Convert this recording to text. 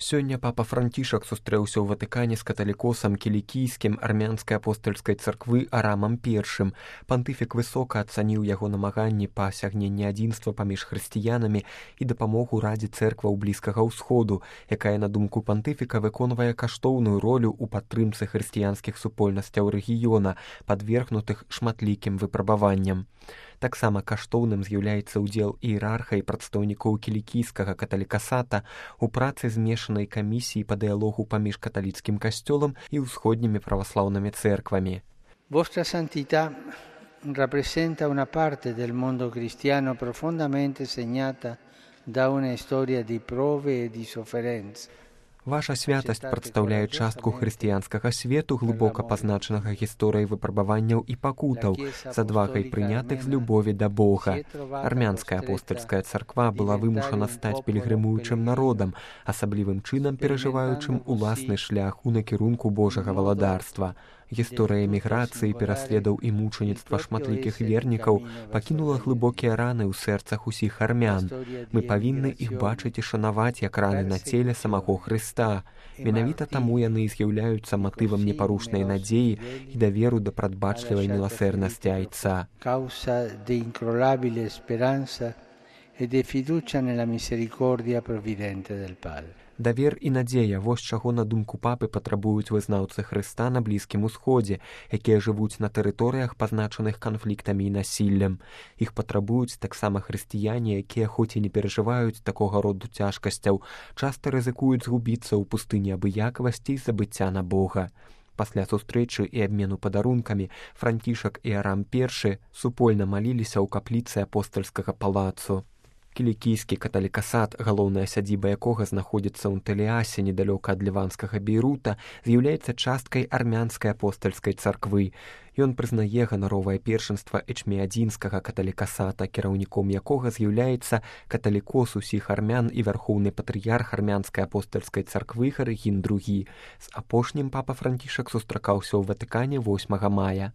Сёння папа Францішак сустрэўся ў Ватыкане з каталікосам кілікійскім армянскай апостальскай царквы Арамам I. Пантыфік высока ацаніў яго намаганні па асягненні адзінства паміж хрысціянамі і дапамогу радзе цэркваў Блізкага ўсходу, якая, на думку пантыфіка, выконвае каштоўную ролю ў падтрымцы хрысціянскіх супольнасцяў рэгіёна, падвергнутых шматлікім выпрабаванням. Таксама каштоўным з'яўляецца ўдзел іерарха і прадстаўнікоў кілікійскага каталікасата ў працы змешанай камісіі па дыялогу паміж каталіцкім касцёлам і ўсходнімі праваслаўнымі цэрквамі. Vostra Santità rappresenta una parte del mondo cristiano profondamente segnata da una storia di prove e di sofferenze. Ваша святасць прадстаўляе частку хрысціянскага свету, глыбока пазначанага гісторыяй выпрабаванняў і пакутаў, з адвагай прынятых з любові да Бога. Армянская апостальская царква была вымушана стаць пільгрымуючым народам, асаблівым чынам перажываючым уласны шлях у накірунку Божага валадарства. Гісторыя эміграцыі, пераследаў і мучаніцтва шматлікіх вернікаў пакінула глыбокія раны ў сэрцах усіх армян. Мы павінны іх бачыць і шанаваць як раны на целе самого Хрыста. Менавіта таму яны і з'яўляюцца матывам непарушнай надзеі і даверу да прадбачлівай міласэрнасці Айца. Causa di incrollabile speranza e di fiducia nella misericordia provvidente del Padre. Давер і надзея, вось чаго, на думку папы, патрабуюць вызнаўцы Хрыста на Блізкім Усходзе, якія жывуць на тэрыторыях, пазначаных канфліктамі і насіллем. Іх патрабуюць таксама хрысціяне, якія хоць і не перажываюць такога роду цяжкасцяў, часта рызыкуюць згубіцца ў пустыні абыякавасці і забыцця на Бога. Пасля сустрэчы і абмену падарункамі Францішак і Арам I супольна маліліся ў капліцы апостальскага палацу. Кілікійскі каталікасат, галоўная сядзіба якога знаходзіцца ў Антэліасе, недалёка ад ліванскага Бейрута, з'яўляецца часткай армянскай апостальскай царквы. Ён прызнае ганаровае першынства эчміядзінскага каталікасата, кіраўніком якога з'яўляецца каталікос усіх армян і вярхоўны патрыярх армянскай апостальскай царквы Гарыгін II. З апошнім папа Францішак сустракаўся ў Ватыкане 8 мая.